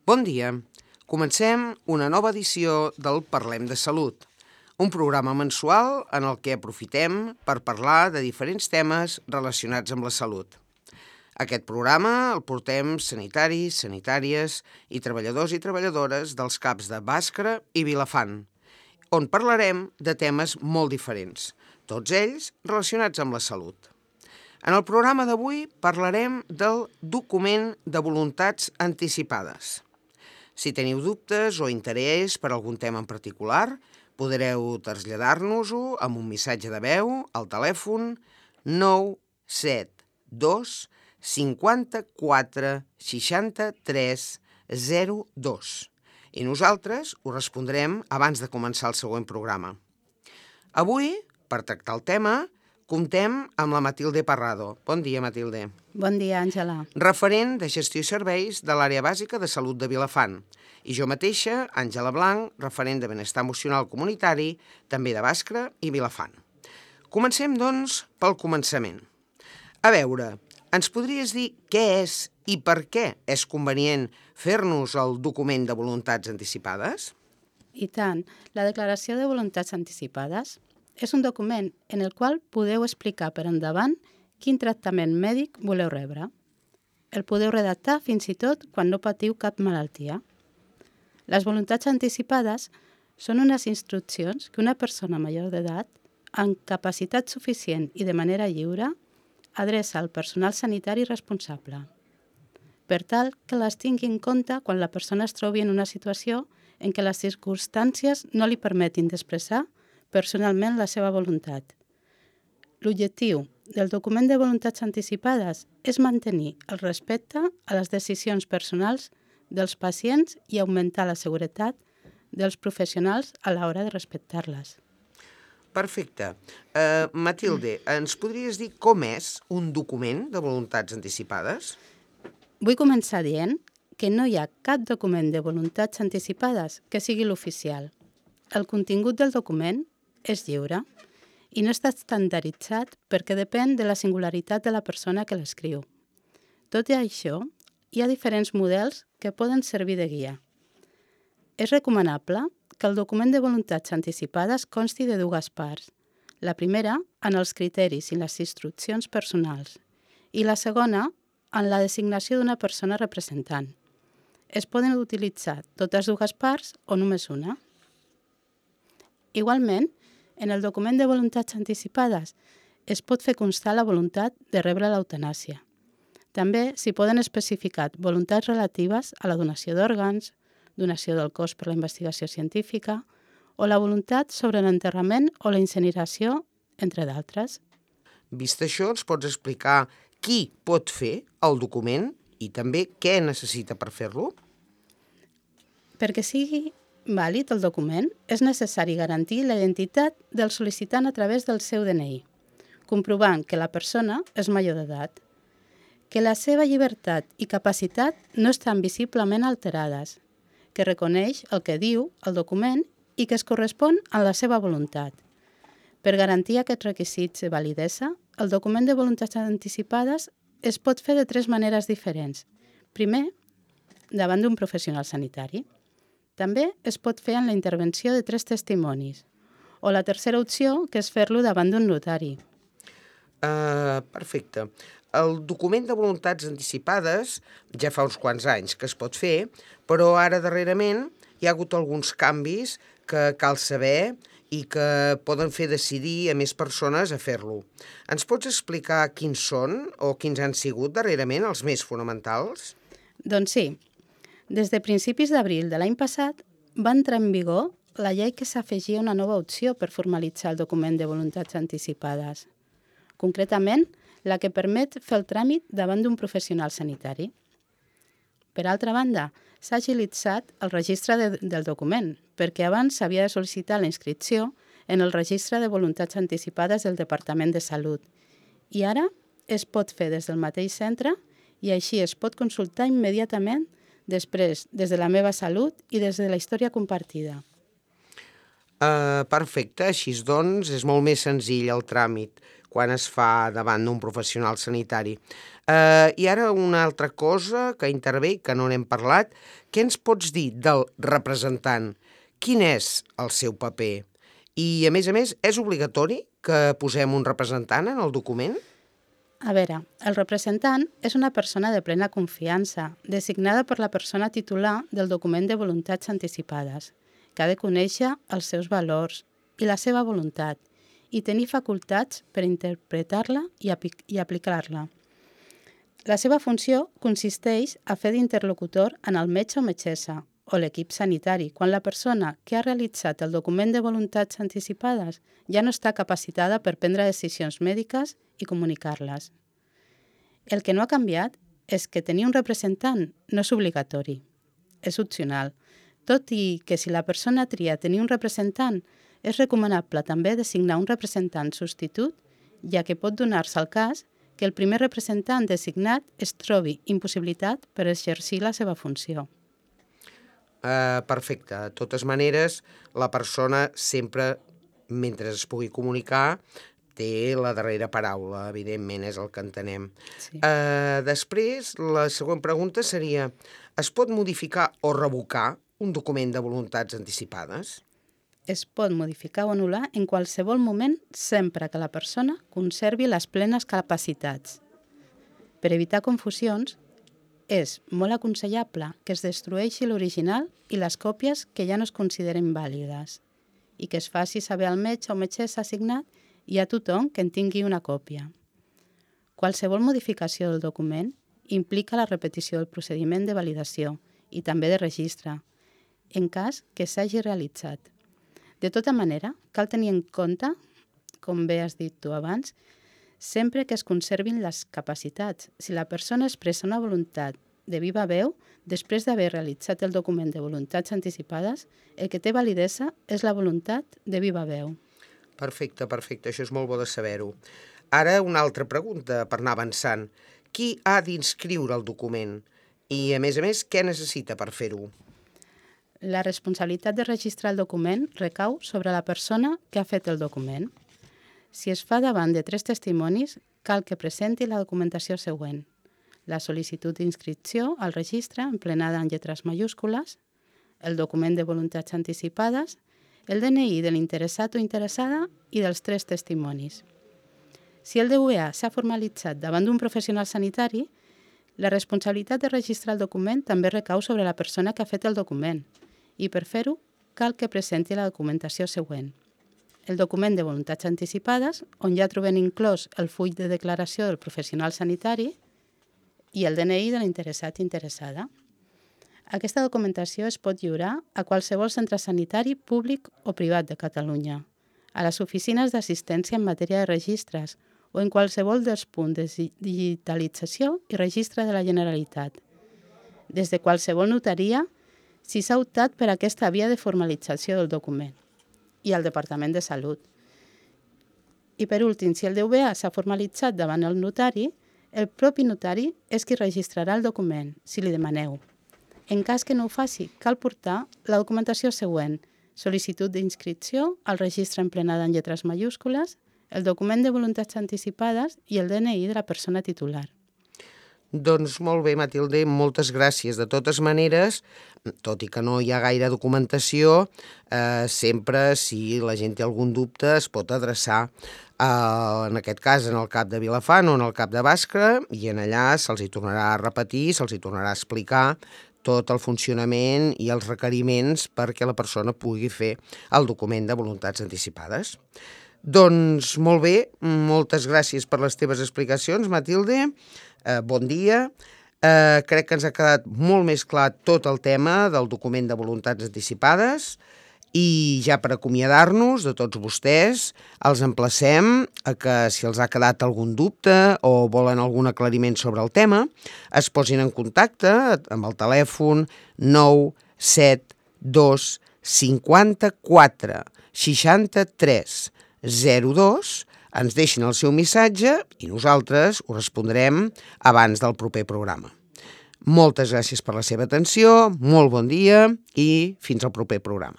Bon dia. Comencem una nova edició del Parlem de Salut, un programa mensual en el que aprofitem per parlar de diferents temes relacionats amb la salut. Aquest programa el portem sanitaris, sanitàries i treballadors dels CAPs de Bàscara i Vilafant, on parlarem de temes molt diferents, tots ells relacionats amb la salut. En el programa d'avui parlarem del document de voluntats anticipades. Si teniu dubtes o interès per algun tema en particular, podreu traslladar-nos-ho amb un missatge de veu al telèfon 972 54 63 02 i nosaltres us respondrem abans de començar el següent programa. Avui, per tractar el tema, comptem amb la Matilde Parrado. Bon dia, Matilde. Bon dia, Àngela. Referent de gestió i serveis de l'àrea bàsica de salut de Vilafant. I jo mateixa, Àngela Blanc, referent de benestar emocional comunitari, també de Bàscara i Vilafant. Comencem, doncs, pel començament. A veure, ens podries dir què és i per què és convenient fer-nos el document de voluntats anticipades? I tant, la declaració de voluntats anticipades és un document en el qual podeu explicar per endavant quin tractament mèdic voleu rebre. El podeu redactar fins i tot quan no patiu cap malaltia. Les voluntats anticipades són unes instruccions que una persona major d'edat, amb capacitat suficient i de manera lliure, adreça al personal sanitari responsable, per tal que les tingui en compte quan la persona es trobi en una situació en què les circumstàncies no li permetin d'expressar personalment la seva voluntat. L'objectiu del document de voluntats anticipades és mantenir el respecte a les decisions personals dels pacients i augmentar la seguretat dels professionals a l'hora de respectar-les. Perfecte. Matilde, ens podries dir com és un document de voluntats anticipades? Vull començar dient que no hi ha cap document de voluntats anticipades que sigui l'oficial. El contingut del document és lliure i no està estandarditzat perquè depèn de la singularitat de la persona que l'escriu. Tot i això, hi ha diferents models que poden servir de guia. És recomanable que el document de voluntats anticipades consti de dues parts. La primera, en els criteris i les instruccions personals, i la segona, en la designació d'una persona representant. Es poden utilitzar totes dues parts o només una. Igualment, en el document de voluntats anticipades es pot fer constar la voluntat de rebre l'eutanàsia. També s'hi poden especificar voluntats relatives a la donació d'òrgans, donació del cos per la investigació científica o la voluntat sobre l'enterrament o la incineració, entre d'altres. Vist això, ens pots explicar qui pot fer el document i també què necessita per fer-lo? Perquè sigui vàlid el document, és necessari garantir la identitat del sol·licitant a través del seu DNI, comprovant que la persona és major d'edat, que la seva llibertat i capacitat no estan visiblement alterades, que reconeix el que diu el document i que es correspon a la seva voluntat. Per garantir aquests requisits de validesa, el document de voluntats anticipades es pot fer de tres maneres diferents. Primer, davant d'un professional sanitari. També es pot fer en la intervenció de 3 testimonis. O la tercera opció, que és fer-lo davant d'un notari. Perfecte. El document de voluntats anticipades ja fa uns quants anys que es pot fer, però ara darrerament hi ha hagut alguns canvis que cal saber i que poden fer decidir a més persones a fer-lo. Ens pots explicar quins són o quins han sigut darrerament els més fonamentals? Doncs sí. Des de principis d'abril de l'any passat va entrar en vigor la llei que s'afegia una nova opció per formalitzar el document de voluntats anticipades. Concretament, la que permet fer el tràmit davant d'un professional sanitari. Per altra banda, s'ha agilitzat el registre del document, perquè abans s'havia de sol·licitar la inscripció en el registre de voluntats anticipades del Departament de Salut. I ara es pot fer des del mateix centre i així es pot consultar immediatament després des de la meva salut i des de la història compartida. Perfecte, així doncs és molt més senzill el tràmit. quan es fa davant d'un professional sanitari. I ara una altra cosa que intervé, que no n'hem parlat, què ens pots dir del representant? Quin és el seu paper? I, a més, és obligatori que posem un representant en el document? A veure, el representant és una persona de plena confiança, designada per la persona titular del document de voluntats anticipades, que ha de conèixer els seus valors i la seva voluntat i tenir facultats per interpretar-la i aplicar-la. La seva funció consisteix a fer d'interlocutor en el metge o metgessa o l'equip sanitari quan la persona que ha realitzat el document de voluntats anticipades ja no està capacitada per prendre decisions mèdiques i comunicar-les. El que no ha canviat és que tenir un representant no és obligatori, és opcional, tot i que si la persona tria tenir un representant, és recomanable també designar un representant substitut, ja que pot donar-se el cas que el primer representant designat es trobi impossibilitat per exercir la seva funció. Perfecte. De totes maneres, la persona sempre, mentre es pugui comunicar, té la darrera paraula, evidentment, és el que entenem. Sí. Després, la següent pregunta seria: es pot modificar o revocar un document de voluntats anticipades? Es pot modificar o anul·lar en qualsevol moment sempre que la persona conservi les plenes capacitats. Per evitar confusions, és molt aconsellable que es destrueixi l'original i les còpies que ja no es consideren vàlides i que es faci saber al metge o metgessa assignat i a tothom que en tingui una còpia. Qualsevol modificació del document implica la repetició del procediment de validació i també de registre, en cas que s'hagi realitzat. De tota manera, cal tenir en compte, com bé has dit tu abans, sempre que es conservin les capacitats. Si la persona expressa una voluntat de viva veu, després d'haver realitzat el document de voluntats anticipades, el que té validesa és la voluntat de viva veu. Perfecte, això és molt bo de saber-ho. Ara una altra pregunta per anar avançant. Qui ha d'inscriure el document? I, a més, què necessita per fer-ho? La responsabilitat de registrar el document recau sobre la persona que ha fet el document. Si es fa davant de 3 testimonis, cal que presenti la documentació següent: la sol·licitud d'inscripció al registre emplenada en lletres majúscules, el document de voluntats anticipades, el DNI de l'interessat o interessada i dels 3 testimonis. Si el DVA s'ha formalitzat davant d'un professional sanitari, la responsabilitat de registrar el document també recau sobre la persona que ha fet el document i per fer-ho cal que presenti la documentació següent: el document de voluntats anticipades, on ja trobem inclòs el full de declaració del professional sanitari i el DNI de l'interessat i interessada. Aquesta documentació es pot lliurar a qualsevol centre sanitari públic o privat de Catalunya, a les oficines d'assistència en matèria de registres o en qualsevol dels punts de digitalització i registre de la Generalitat, des de qualsevol notaria si s'ha optat per aquesta via de formalització del document, i al Departament de Salut. I per últim, si el DVA s'ha formalitzat davant el notari, el propi notari és qui registrarà el document, si li demaneu. En cas que no ho faci, cal portar la documentació següent: sol·licitud d'inscripció al registre emplenada en lletres majúscules, el document de voluntats anticipades i el DNI de la persona titular. Doncs molt bé, Matilde, moltes gràcies. De totes maneres, tot i que no hi ha gaire documentació, sempre, si la gent té algun dubte, es pot adreçar, en aquest cas, en el CAP de Vilafant o en el CAP de Bàscara, i en allà se'ls hi tornarà a repetir, se'ls hi tornarà a explicar tot el funcionament i els requeriments perquè la persona pugui fer el document de voluntats anticipades. Doncs molt bé, moltes gràcies per les teves explicacions, Matilde. Bon dia. Crec que ens ha quedat molt més clar tot el tema del document de voluntats anticipades i ja per acomiadar-nos de tots vostès, els emplacem a que si els ha quedat algun dubte o volen algun aclariment sobre el tema, es posin en contacte amb el telèfon 972 54 63 02, ens deixin el seu missatge i nosaltres ho respondrem abans del proper programa. Moltes gràcies per la seva atenció, molt bon dia i fins al proper programa.